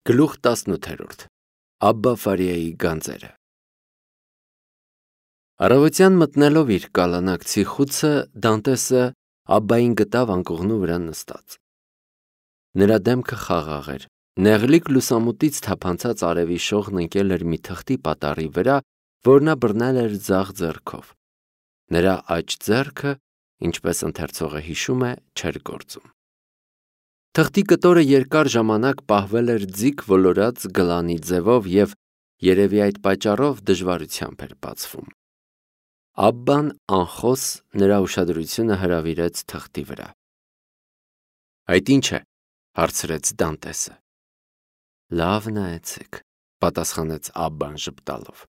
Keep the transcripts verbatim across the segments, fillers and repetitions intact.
Գլուխ տասնութ. Աբբա Ֆարիայի գանձերը։ Առավոտյան մտնելով իր կալանակցի խուցը, Դանտեսը Աբբային գտավ անկողնու վրա նստած։ Նրա դեմքը խաղաղ էր, նեղլիկ լուսամուտից թափանցած արևի շողն ընկել էր մի թղթի պատառի վրա, որ նա բռնել էր ձախ ձեռքով։ Նրա աջ ձեռքը, ինչպես ընթերցողը հիշում է, չէր գործում։ Թղթի կտորը երկար ժամանակ պահվել էր ձիգ ոլորած գլանի ձևով և երևի այդ պատճառով դժվարությամբ էր բացվում։ Աբբան անխոս նրա ուշադրությունը հրավիրեց թղթի վրա։ Այդ ի՞նչ է, հարցրեց Դանտեսը։ Լավ նայեցեք, պատասխանեց Աբբան ժպտալով։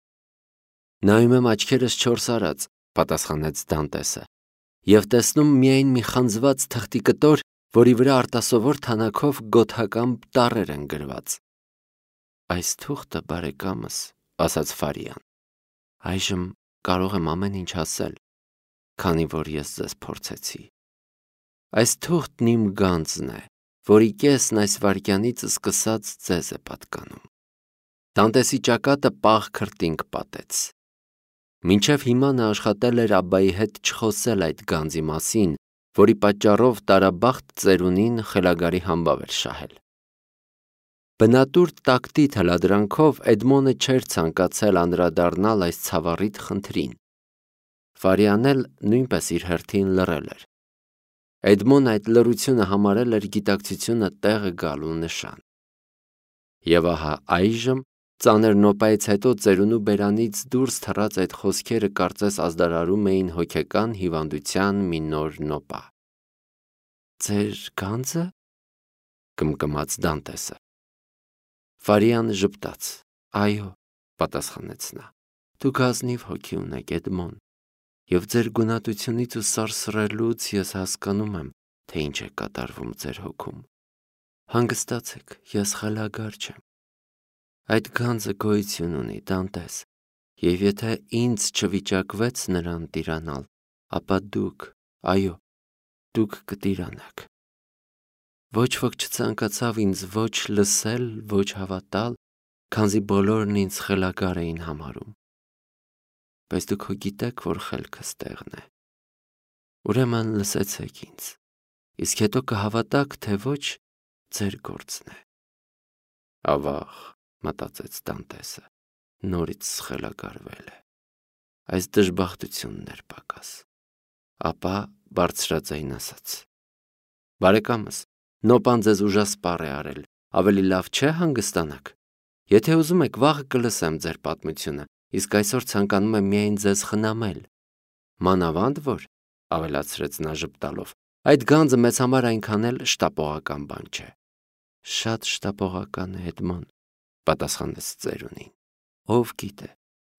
Նայում եմ աչքերս չորս արած, պատասխանեց Դանտեսը, և տեսնում միայն մի խանձված թղթի կտոր, որի վրա արտասովոր թանաքով գոթական տառեր են գրված։ Այս թուղթը, բարեկամս, ասաց Ֆարիան, այժմ կարող եմ ամեն ինչ ասել, քանի որ ես ձեզ փորձեցի։ Այս թուղթն իմ գանձն է, որի կեսն այս վայրկյանից սկսած ձեզ է պատկանում։ Դանտեսի ճակատը պաղ քրտինք պատեց։ Մինչև հիմա նա աշխատել էր Աբբայի հետ չխոսել այդ գանձի մասին, որի պատճառով տարաբախտ ծերունին խելագարի համբավ էր շահել։ Բնատուր տակտի թելադրանքով Էդմոնը չէր ցանկացել անդրադառնալ այս ցավառիտ խնդրին։ Ֆարիան էլ նույնպես իր հերթին լռել էր։ Էդմոնը այդ լռությունը համարել էր գիտակցությունը տեղը գալու նշան։ Եվ ահա այժմ, ծանր նոպայից հետո ծերունու բերանից դուրս թռած այդ խոսքերը կարծես ազդարարում էին հոգեկան հիվանդության մի նոր նոպա։ Ձեր գանձը, կմկմաց Դանտեսը։ Ֆարիան ժպտաց։ Այո, պատասխանեց նա։ Դուք ազնիվ հոգի ունեք, Էդմոն, և ձեր գունատությունից ու սարսռելուց ես հասկանում եմ, թե ինչ է կատարվում ձեր հոգում։ Հանգստացեք, ես խելագար չեմ։ Այդ գանձը գոյություն ունի, Դանտես, և եթե ինձ չվիճակվեց նրան տիրանալ, ապա դուք, այո, դուք կտիրանաք։ Ոչ ոք չցանկացավ ինձ ոչ լսել, ոչ հավատալ, քանզի բոլորն ինձ խելագար էին համարում։ Բայց դուք հո գիտեք, որ խելքս տեղն է։ Ուրեմն լսեցեք ինձ, իսկ հետո կհավատաք, թե ոչ, ձեր գործն է։ Ավաղ, մտածեց Դանտեսը, նորից սխելագարվել է։ Այս դժբախտությունն էր պակաս։ Ապա բարձրաձայն ասաց. Բարեկամս, նոպան ձեզ ուժասպառ է արել, ավելի լավ չէ հանգստանաք։ Եթե ուզում եք, վաղը կլսեմ ձեր պատմությունը, իսկ այսօր ցանկանում եմ միայն ձեզ խնամել։ Մանավանդ որ, ավելացրեց նա ժպտալով, այդ գանձը մեզ համար այնքան էլ շտապողական բան չէ։ Շատ շտապողական է, Էդմոն, պատասխանեց ծերունին։ Ով գիտե,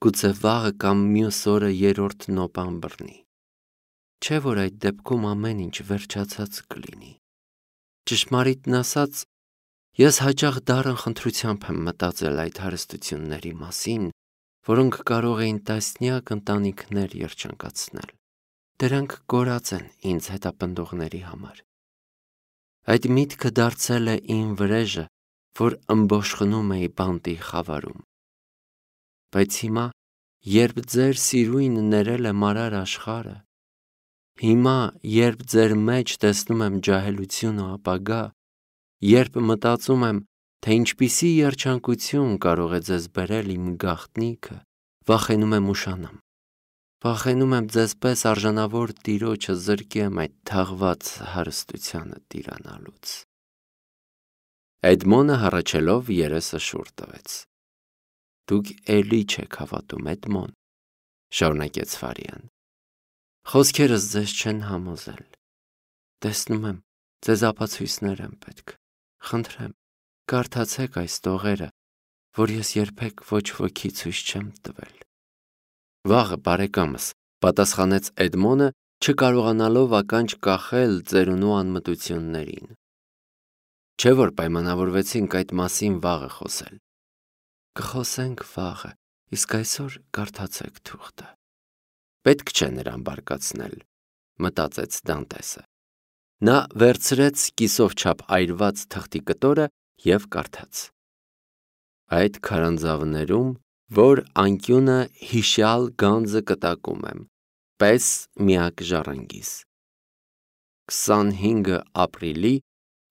գուցե վաղը կամ մյուս օրը երրորդ նոպան բռնի։ Չէ՞ որ այդ դեպքում ամեն ինչ վերջացած կլինի։ Ճշմարիտն ասած, ես հաճախ դառն խնդրությամբ եմ մտածել այդ հարստությունների մասին, որոնք կարող էին տասնյակ ընտանիքներ երջանկացնել։ Դրանք կորած են ինձ հետապնդողների համար։ Այդ միտքը դարձել է իմ վրեժը, որ ըմբոշխնում էի բանտի խավարում։ Բայց հիմա, երբ ձեր սիրույնը ներել է մարար աշխարհը, հիմա, երբ ձեր մեջ տեսնում եմ ջահելություն ու ապագա, երբ մտածում եմ, թե ինչպիսի երջանկություն կարող է ձեզ բերել իմ գաղտնիքը, վախենում եմ ուշանամ։ Վախենում եմ ձեզպես արժանավոր տիրոջը զրկեմ այդ թաղված հարստությանը տիրանալուց։ Էդմոնը հառաչելով երեսը շուռ տվեց։ Դուք էլի չեք հավատում, Էդմոն, շարունակեց Ֆարիան։ Խոսքերս ձեզ չեն համոզել։ Տեսնում եմ, ձեզ ապացույցներ են պետք։ Խնդրեմ, կարդացեք այս տողերը, որ ես երբեք ոչ ոքի ցույց չեմ տվել։ Վաղը, բարեկամս, պատասխանեց Էդմոնը, չկարողանալով ականջ կախել ծերունու անմտություններին։ Չէ՞ որ պայմանավորվեցինք այդ մասին վաղը խոսել։ Կխոսենք վաղը, իսկ այսօր կարդացեք թուղթը։ Պետք չէ նրան բարկացնել, մտածեց Դանտեսը։ Նա վերցրեց կիսով չափ այրված թղթի կտորը և կարդաց. Այդ քարանձավներում, որ անկյունը հիշյալ գանձը կտակում եմ, պես միակ ժառանգիս։ քսանհինգ ապրիլի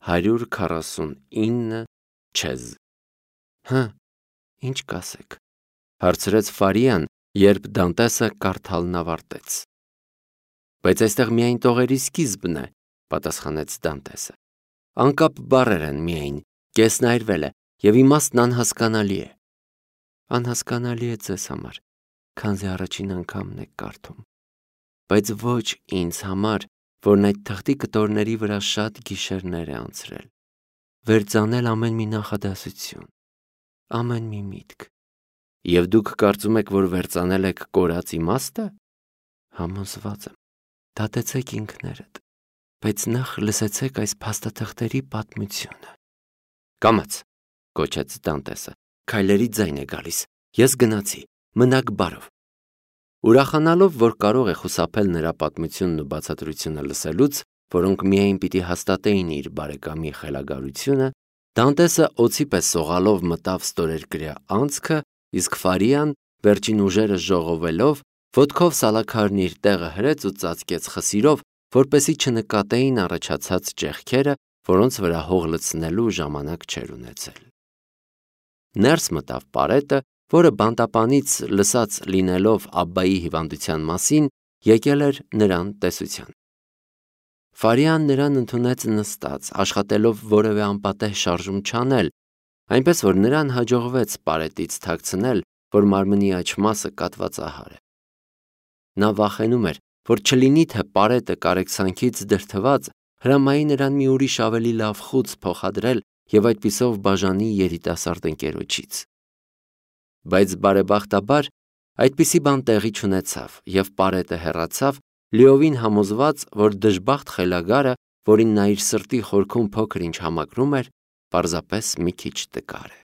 հարյուր քառասունինը չեզ։ Հը, ինչ կասեք, հարցրեց Ֆարիան, երբ Դանտեսը կարդալն ավարտեց։ Բայց այստեղ միայն տողերի սկիզբն է, պատասխանեց Դանտեսը։ Անկապ բառեր են միայն, կեսն այրվել է, և իմաստն անհասկանալի է։ Անհասկանալի է ձեզ համար, քանզի առաջին անգամն եք կարդում, բայց ոչ ինձ համար, որն այդ թղթի կտորների վրա շատ գիշերներ է անցրել, վերծանել ամեն մի նախադասություն, ամեն մի միտք։ Եվ դուք կարծում եք, որ վերծանել եք կորած իմաստը։ Համոզված եմ, դատեցեք ինքներդ, բայց նախ լսեցեք այս փաստաթղթերի պատմությունը։ Կամաց, կոչեց Դանտեսը, քայլերի ձայն է գալիս, ես գնացի, մնաք բարով։ Ուրախանալով, որ կարող է խուսափել նրա պատմությունն ու բացատրությունը լսելուց, որոնք միայն պիտի հաստատեին իր բարեկամի խելագարությունը, Դանտեսը օձի պես սողալով մտավ ստորերկրյա անցքը, իսկ Ֆարիան, վերջին ուժերը ժողովելով, ոտքով սալաքարն իր տեղը հրեց ու ծածկեց խսիրով, որպեսզի չնկատեին առաջացած ճեղքերը, որոնց վրա հող լցնելու ժամանակ չէր ունեցել։ Ներս մտավ պարետը, որը բանտապանից լսած լինելով Աբբայի հիվանդության մասին, եկել էր նրան տեսության։ Ֆարիան նրան ընդունեց նստած, աշխատելով որևէ անպատեհ շարժում չանել, այնպես որ նրան հաջողվեց պարետից թաքցնել, որ մարմնի աջ մասը կատվածահար է։ Նա վախենում էր, որ չլինի թե պարետը կարեկցանքից դրդված հրամայի նրան մի ուրիշ ավելի լավ խուց փոխադրել և այդպիսով բաժանի երիտասարդ ընկերոջից։ Բայց բարեբախտաբար այդպիսի բան տեղի չունեցավ, և պարետը հեռացավ, լիովին համոզված, որ դժբախտ խելագարը, որին նա իր սրտի խորքում փոքր-ինչ համակրում էր, պարզապես մի քիչ տկար է։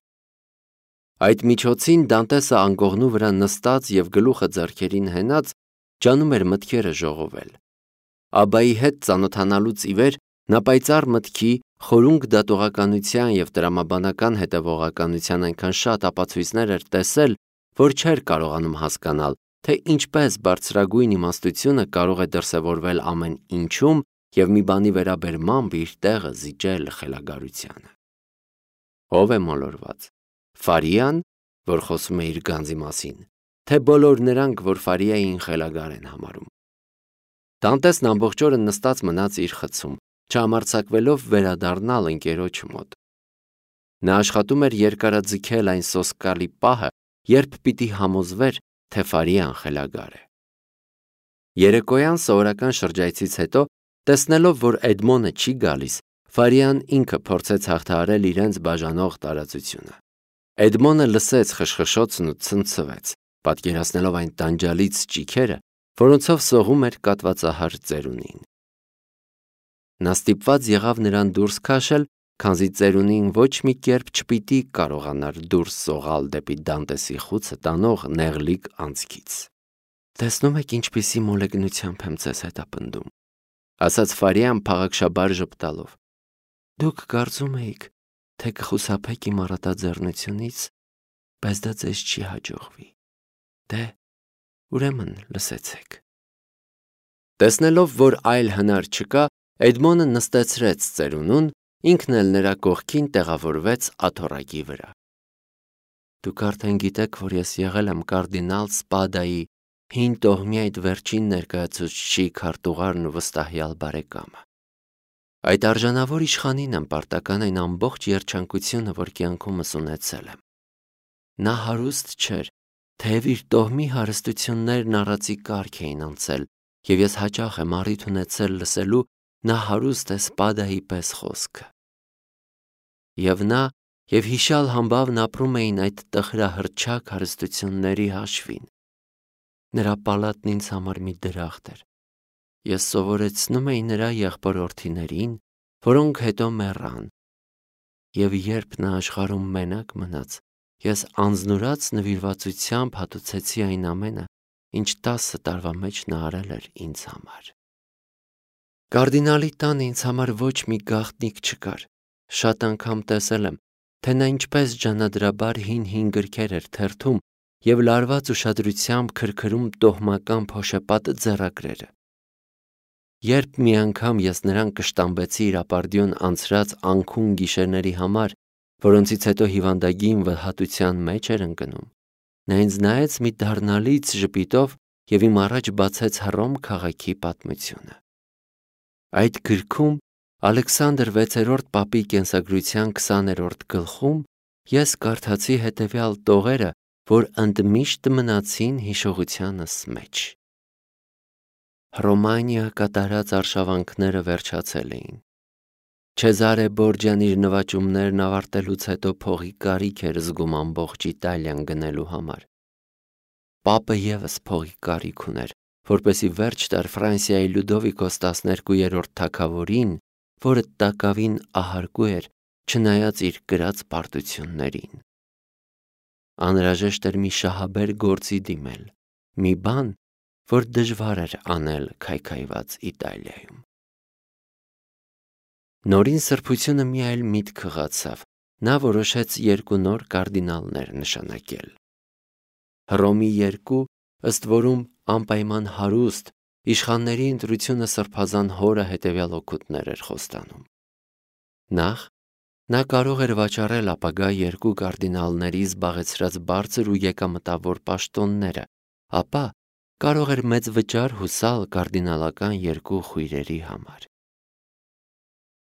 Այդ միջոցին Դանտեսը անկողնու վրա նստած և գլուխը ձեռքերին հենած, ջանում էր մտքերը ժողովել։ Աբբայի հետ ծանոթանալուց ի վեր նա պայծառ մտքի, խորունկ դատողականության և տրամաբանական հետևողականության այնքան շատ ապացույցներ էր տեսել, որ չէր կարողանում հասկանալ, թե ինչպես բարձրագույն իմաստությունը կարող է դրսևորվել ամեն ինչում և մի բանի վերաբերմամբ իր տեղը զիջել խելագարությանը։ Ո՞վ է մոլորված։ Ֆարիան, որ խոսում է իր գանձի մասին, թե բոլոր նրանք, որ Ֆարիային խելագար են համարում։ Դանտեսն ամբողջ օրը նստած մնաց իր խցում, չհամարձակվելով վերադառնալ ընկերոջ մոտ։ Նա աշխատում էր երկարաձգել այն սոսկալի պահը, երբ պիտի համոզվեր, թե Ֆարիան խելագար է։ Երեկոյան սովորական շրջայցից հետո, տեսնելով, որ Էդմոնը չի գալիս, Ֆարիան ինքը փորձեց հաղթահարել իրենց բաժանող տարածությունը։ Էդմոնը լսեց խշխշոցն ու ցնցվեց, պատկերացնելով այն տանջալից ճիգերը, որոնցով սողում էր կատվածահար ծերունին։ Նա ստիպված եղավ նրան դուրս քաշել, քանզի ծերունին ոչ մի կերպ չպիտի կարողանար դուրս սողալ դեպի Դանտեսի խուցը տանող նեղլիկ անցքից։ Տեսնում եք ինչպիսի մոլեգնությամբ եմ ձեզ հետապնդում, ասաց Ֆարիան փաղաքշաբար ժպտալով։ Դուք կարծում էիք, թե կխուսափեք իմ առատաձեռնությունից, բայց դա ձեզ չի հաջողվի։ Դե, ուրեմն լսեցեք։ Տեսնելով, որ այլ հնար չկա, Էդմոնը նստեցրեց ծերունուն, ինքն էլ նրա կողքին տեղավորվեց աթոռակի վրա։ Դուք արդեն գիտեք, որ ես եղել եմ կարդինալ Սպադայի հին տոհմի այդ վերջին ներկայացուցչի քարտուղարն ու վստահյալ բարեկամը։ Այդ արժանավոր իշխանին եմ պարտական այն ամբողջ երջանկությունը, որ կյանքումս ունեցել եմ։ Նա հարուստ չէր, թեև իր տոհմի հարստություններն առածի կարգ էին անցել, և ես հաճախ եմ առիթ ունեցել լսելու նա հարուստ է Սպադայի պես խոսքը։ Եվ նա և հիշյալ համբավն ապրում էին այդ տխրահռչակ հարստությունների հաշվին։ Նրա պալատն ինձ համար մի դրախտ էր։ Ես սովորեցնում էի նրա եղբորորդիներին, որոնք հետո մեռան։ Եվ երբ նա աշխարհում մենակ մնաց, ես անձնուրաց նվիրվածությամբ հատուցեցի այն ամենը, ինչ տասը տարվա մեջ նա արել էր ինձ համար։ Կարդինալի տանը ինձ համար ոչ մի գաղտնիք չկար։ Շատ անգամ տեսել եմ, թե նա ինչպես ջանադրաբար հին-հին գրքեր էր թերթում և լարված ուշադրությամբ քրքրում տոհմական փոշեպատ ձեռագրերը։ Երբ մի անգամ ես նրան կշտամբեցի իր ապարդյուն անցրած անքուն գիշերների համար, որոնցից հետո հիվանդագին վհատության մեջ էր ընկնում, նա ինձ նայեց մի դառնալից ժպիտով և իմ առաջ բացեց Հռոմ քաղաքի պատմությունը։ Այդ գրքում Ալեքսանդր վեցերորդ պապի կենսագրության քսաներորդ գլխում ես կարդացի հետևյալ տողերը, որ ընդմիշտ մնացին հիշողությանս մեջ։ Հռոմանիա կատարած արշավանքները վերջացել էին։ Չեզարե Բորջյան իր նվաճումներն ավարտելուց հետո փողի կարիք էր զգում ամբողջ Իտալիան գնելու համար։ Պապը ևս փողի կարիք ուներ, որպեսզի վերջ տար Ֆրանսիայի Լյուդովիկոս տասներկուերորդ թագավորին, որը տակավին ահարկու էր, չնայած իր կրած պարտություններին։ Անհրաժեշտ էր մի շահաբեր գործի դիմել, մի բան, որ դժվար էր անել քայքայված Իտալիայում։ Նորին սրբությունը մի այլ միտք խղացավ, նա որոշեց երկու նոր կարդինալներ նշանակել։ Հռոմի երկու, ըստ որում անպայման հարուստ, իշխանների ընտրությունը սրբազան հորը հետևյալ օգուտներ էր խոստանում։ Նախ, նա կարող էր վաճառել ապագա երկու կարդինալների զբաղեցրած բարձր ու եկամտավոր պաշտոնները, ապա կարող էր մեծ վճար հուսալ կարդինալական երկու խույրերի համար։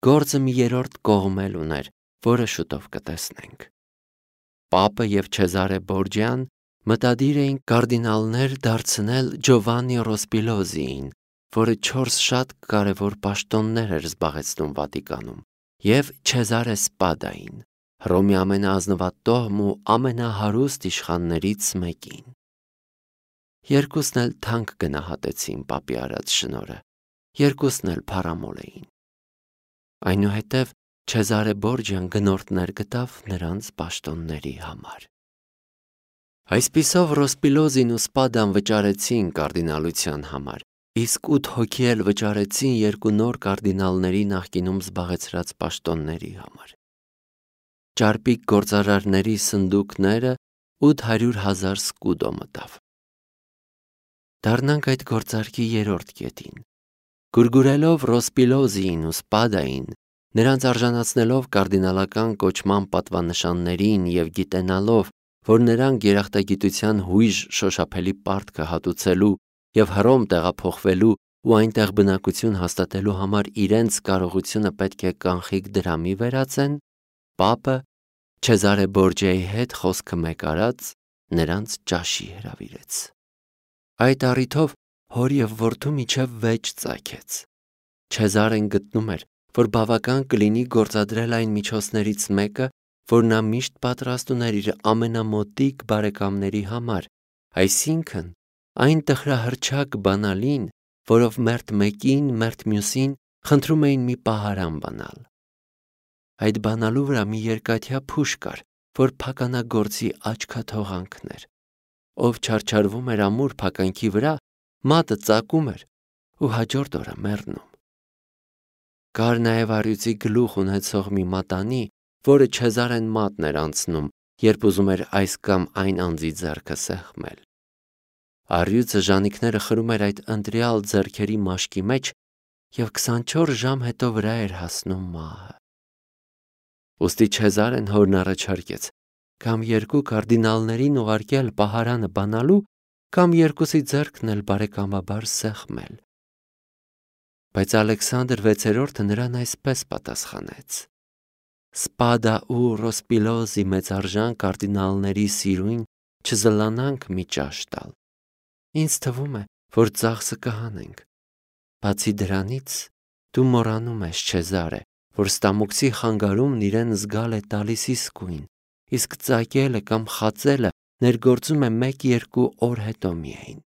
Գործը մի երրորդ կողմ էլ ուներ, որը շուտով կտեսնենք։ Պապը և Չեզարե Բորջյան մտադիր էին կարդինալներ դարձնել Ջովաննի Ռոսպիլոզիին, որը չորս շատ կարևոր պաշտոններ էր զբաղեցնում Վատիկանում, և Չեզարե Սպադային, Հռոմի ամենաազնվատոհմ ու ամենահարուստ իշխաններից մեկին։ Երկուսն էլ թանկ գնահատեցին պապի արած շնորհը, երկուսն էլ փառամոլ էին։ Այնուհետև Չեզարե Բորջյան գնորդներ գտավ նրանց պաշտոնների համար։ Այսպիսով Ռոսպիլոզին ու Սպադան վճարեցին կարդինալության համար, իսկ ութ հոգի էլ վճարեցին երկու նոր կարդինալների նախկինում զբաղեցրած պաշտոնների համար։ Ճարպիկ գործարարների սնդուկները ութ հարյուր հազար սկուդո մտավ։ Դառնանք այդ գործարքի երրորդ կետին։ Գուրգուրելով Ռոսպիլոզիին ու Սպադային, նրանց արժանացնելով կարդինալական կոչման պատվանշաններին և գիտենալով, որ նրանք երախտագիտության հույժ շոշափելի պարտքը հատուցելու և Հռոմ տեղափոխվելու ու այնտեղ բնակություն հաստատելու համար իրենց կարողությունը պետք է կանխիկ դրամի վերածեն, պապը Չեզարե Բորջյայի հետ խոսքը մեկ արած նրանց ճաշի հրավիրեց։ Այդ առիթով հոր և որդու միջև վեճ ծագեց։ Չեզարեն գտնում էր, որ բավական կլինի գործադրել այն միջոցներից մեկը, որ նա միշտ պատրաստ ուներ իր ամենամոտիկ բարեկամների համար, այսինքն այն տխրահռչակ բանալին, որով մերթ մեկին, մերթ մյուսին խնդրում էին մի պահարան բանալ։ Այդ բանալու վրա մի երկաթյա փուշ կար, որ փականագործի աչքաթողանքն էր։ Ով չարչարվում էր ամուր փականքի վրա, մատը ծակում էր ու հաջորդ օրը մեռնում։ Կար նաև առյուծի գլուխ ունեցող մի մատանի, որը Չեզարեն մատն էր անցնում, երբ ուզում էր այս կամ այն անձի ձեռքը սեղմել։ Առյուծը ժանիքները խրում էր այդ ընտրյալ ձեռքերի մաշկի մեջ և քսանչորս ժամ հետո վրա էր հասնում մահը։ Ուստի Չեզարեն հորն առաջարկեց կամ երկու կարդինալներին ուղարկել պահարանը բանալու, կամ երկուսի ձեռքն էլ բարեկամաբար սեղմել։ Բայց Ալեքսանդր վեցերորդը նրան այսպես պատասխանեց. Սպադա ու Ռոսպիլոզի մեծարժան կարդինալների սիրուն չզլանանք մի ճաշ տալ։ Ինձ թվում է, որ ծախսը կհանենք։ Բացի դրանից, դու մոռանում ես, Չեզարե, որ ստամոքսի խանգարումն իրեն զգալ է տալիս իսկույն, իսկ ծակելը կամ խածելը ներգործում է մեկ-երկու օր հետո միայն։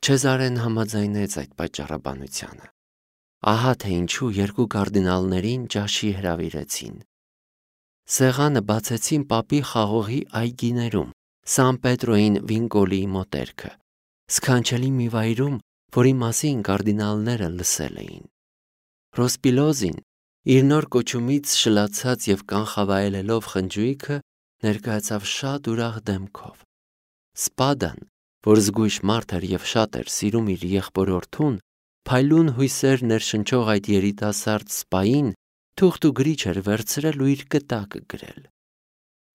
Չեզարեն համաձայնեց այդ պատճառաբանությանը։ Ահա թե ինչու երկու կարդինալներին ճաշի հրավիրեցին։ Սեղանը բացեցին պապի խաղողի այգիներում, Սան Պետրոյին Վինկոլիի մոտերքը, սքանչելի մի վայրում, որի մասին կարդինալները լսել էին։ Ռոսպիլոզին, Իր նոր կոչումից շլացած և կանխավայելելով խնջույքը ներկայացավ շատ ուրախ դեմքով։ Սպադան, որ զգույշ մարդ էր և շատ էր սիրում իր եղբորորդուն, փայլուն հույսեր ներշնչող այդ երիտասարդ սպային թուղթ ու գրիչ էր վերցրել ու իր կտակը գրել։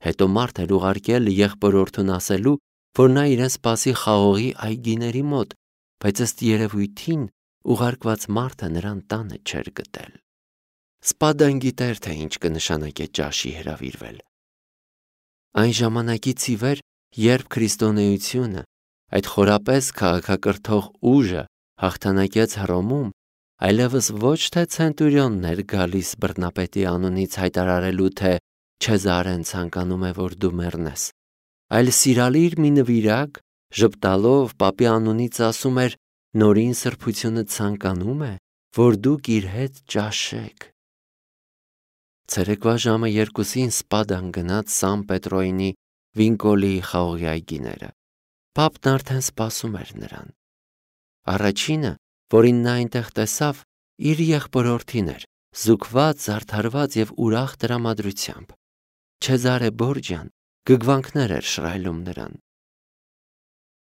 Հետո մարդ էր ուղարկել եղբորորդուն ասելու, որ նա իրեն սպասի խաղողի այգիների մոտ, բայց ըստ երևույթին ուղարկված մարդը նրան տանը չէր գտել։ Սպադան գիտեր, թե ինչ կնշանակե ճաշի հրավիրվել։ Այն ժամանակից ի վեր, երբ քրիստոնեությունը, այդ խորապես քաղաքակրթող ուժը հաղթանակեց Հռոմում, այլևս ոչ թե ցենտուրիոնն էր գալիս բռնապետի անունից հայտարարելու, թե Չեզարեն ցանկանում է, որ դու մեռնես, այլ սիրալիր մի նվիրակ ժպտալով պապի անունից ասում էր. նորին սրբությունը ցանկանում է, որ դուք իր հետ ճաշեք։ Ցերեկվա ժամը երկուսին Սպադան գնաց Սան Պետրոյինի Վինկոլիի խաղողի այգիները։ Պապն արդեն սպասում էր նրան։ Առաջինը, որին նա այնտեղ տեսավ, իր եղբորորդին էր, զուգված, զարդարված և ուրախ տրամադրությամբ։ Չեզարե Բորջյան գգվանքներ էր շռայլում նրան։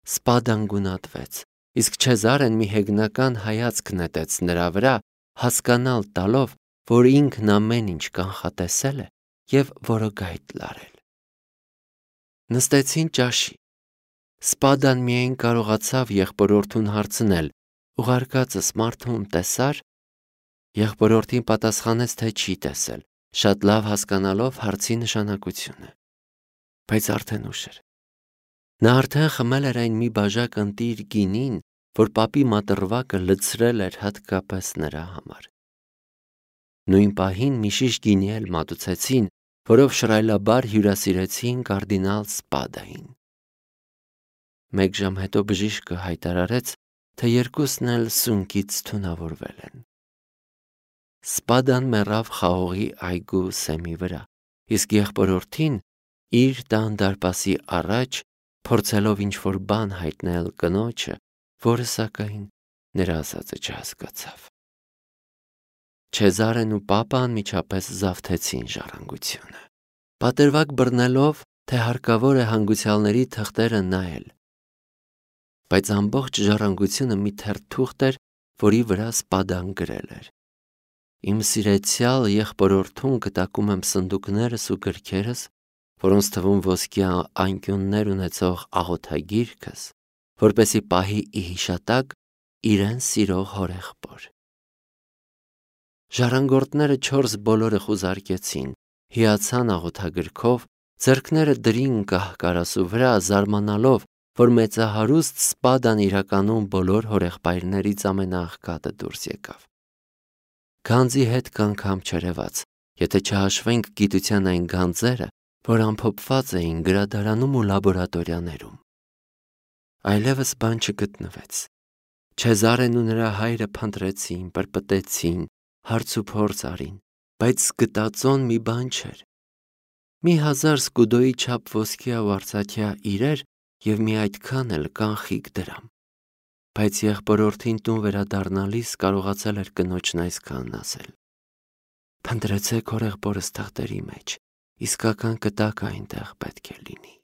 Սպադան գունատվեց, իսկ Չեզարեն մի հեգնական հայացք նետեց նրա վրա, հասկանալ տալով, որ ինքն ամեն ինչ կանխատեսել է և որոգայթ լարել։ Նստեցին ճաշի։ Սպադան միայն կարողացավ եղբորորդուն հարցնել. ուղարկածս մարդուն տեսա՞ր։ Եղբորորդին պատասխանեց, թե չի տեսել, շատ լավ հասկանալով հարցի նշանակությունը։ Բայց արդեն ուշ էր։ Նա արդեն խմել էր այն մի բաժակ ընտիր գինին, որ պապի մատռվակը լցրել էր հատկապես նրա համար։ Նույն պահին մի շիշ գինի էլ մատուցեցին, որով շռայլաբար հյուրասիրեցին կարդինալ Սպադային։ Մեկ ժամ հետո բժիշկը հայտարարեց, թե երկուսն էլ սունկից թունավորվել են։ Սպադան մեռավ խաղողի այգու սեմի վրա, իսկ եղբորորդին իր տան դարպասի առաջ, փորձելով ինչ-որ բան հայտնել կնոջը, որը սակայն նրա ասածը չհասկացավ։ Չեզարեն ու պապը անմիջապես զավթեցին ժառանգությունը, պատրվակ բռնելով, թե հարկավոր է հանգուցյալների թղթերը նայել։ Բայց ամբողջ ժառանգությունը մի թերթուղթ էր, որի վրա Սպադան գրել էր. Իմ սիրեցյալ եղբորորդուն կտակում եմ սնդուկներս ու գրքերս, որոնց թվում ոսկի անկյուններ ունեցող աղոթագիրքս, որպեսզի պահի ի հիշատակ իրեն սիրող հորեղբոր։ Ժառանգորդները չորս բոլորը խուզարկեցին, հիացան աղոթագրքով, ձեռքները դրին կահ-կարասու վրա, զարմանալով, որ մեծահարուստ Սպադան իրականում բոլոր հորեղբայրներից ամենաաղքատը դուրս եկավ։ Գանձի հետ կանգամ չերևաց, եթե չհաշվենք գիտության այն գանձերը, որ ամփոփված էին գրադարանում ու լաբորատորիաներում։ Այլևս բան չգտնվեց։ Չեզարեն ու նրա հայրը փնտրեցին, պրպտեցին, հարց ու փորձ արին, բայց գտածոն մի բան չէր։ Մի հազար սկուդոյի չափ ոսկյա ու արծաթյա իրեր և մի այդքան էլ կանխիկ դրամ։ Բայց եղբորորդին տուն վերադառնալիս կարողացել էր կնոջն այսքանն ասել. Փնտրեցեք հորեղբորս թղթերի մեջ, իսկական կտակը այնտեղ պետք է լինի։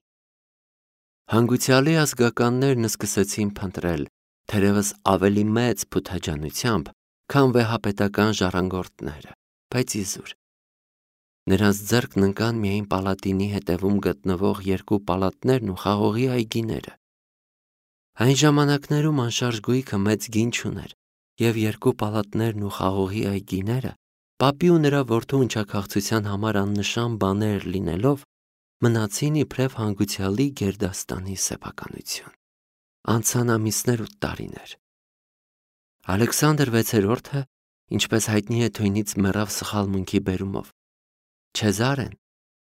Հանգուցյալի ազգականներն սկսեցին փնտրել, թերևս ավելի մեծ փութաջանությամբ, քան վեհապետական ժառանգորդները, բայց իզուր։ Նրանց ձեռքն ընկան միայն պալատինի հետևում գտնվող երկու պալատներն ու խաղողի այգիները։ Այն ժամանակներում անշարժ գույքը մեծ գին չուներ, և երկու պալատներն ու խաղողի այգիները, պապի ու նրա որդու ընչաքաղցության համար աննշան բաներ լինելով, մնացին իբրև հանգուցյալի գերդաստանի սեփականություն։ Անցան ամիսներ ու տարիներ։ Ալեքսանդր վեցերորդը, ինչպես հայտնի է, թույնից մեռավ սխալմունքի բերումով։ Չեզարեն,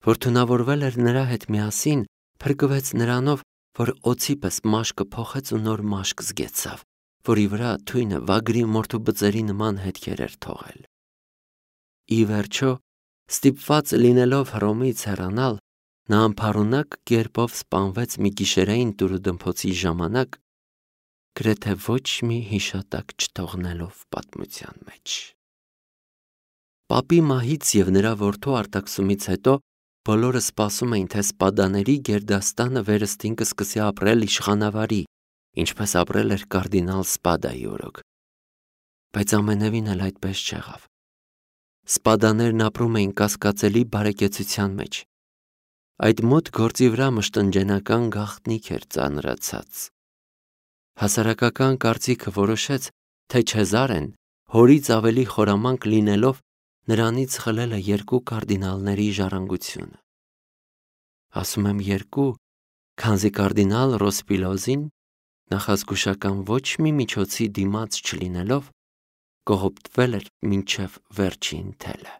որ թունավորվել էր նրա հետ միասին, փրկվեց նրանով, որ օձի պես մաշկը փոխեց ու նոր մաշկ զգեցավ, որի վրա թույնը վագրի մորթու բծերի նման հետքեր էր թողել։ Ի վերջո, ստիպված լինելով Հռոմից հեռանալ, նա անփառունակ կերպով սպանվեց մի գիշերային տուրուդմփոցի ժամանակ, գրեթե ոչ մի հիշատակ չթողնելով պատմության մեջ։ Պապի մահից և նրա որդու արտաքսումից հետո բոլորը սպասում էին, թե Սպադաների գերդաստանը վերստին կսկսի ապրել իշխանավարի, ինչպես ապրել էր կարդինալ Սպադայի օրոք։ Բայց ամենևին էլ այդպես չեղավ։ Սպադաներն ապրում էին կասկածելի բարեկեցության մեջ։ Այդ մոտ գործի վրա մշտնջենական գաղտնիք էր ծանրացած։ Հասարակական կարծիքը որոշեց, թե Չեզարեն, հորից ավելի խորամանկ լինելով, նրանից խլել է երկու կարդինալների ժառանգությունը։ Ասում եմ երկու, քանզի կարդինալ Ռոսպիլոզին, նախազգուշական ոչ մի միջոցի դիմաց չլինելով, կողոպտվել էր մինչև վերջին թելը։